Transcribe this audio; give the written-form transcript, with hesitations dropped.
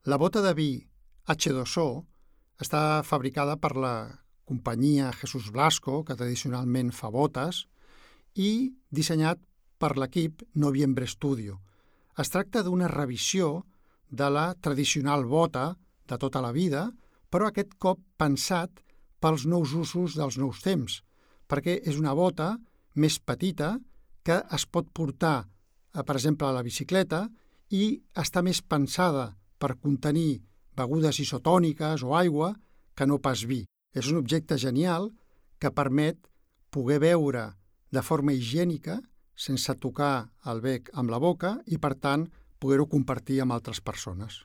La bota de vi H2O està fabricada per la companyia Jesús Blasco, que tradicionalment fa botes, i dissenyat per l'equip Noviembre Studio. Es tracta d'una revisió de la tradicional bota de tota la vida, però aquest cop pensat pels nous usos dels nous temps, perquè és una bota més petita que es pot portar, per exemple, a la bicicleta i està més pensada per contenir begudes isotòniques o aigua que no pas vi. És un objecte genial que permet poder beure de forma higiènica sense tocar el bec amb la boca i, per tant, poder-ho compartir amb altres persones.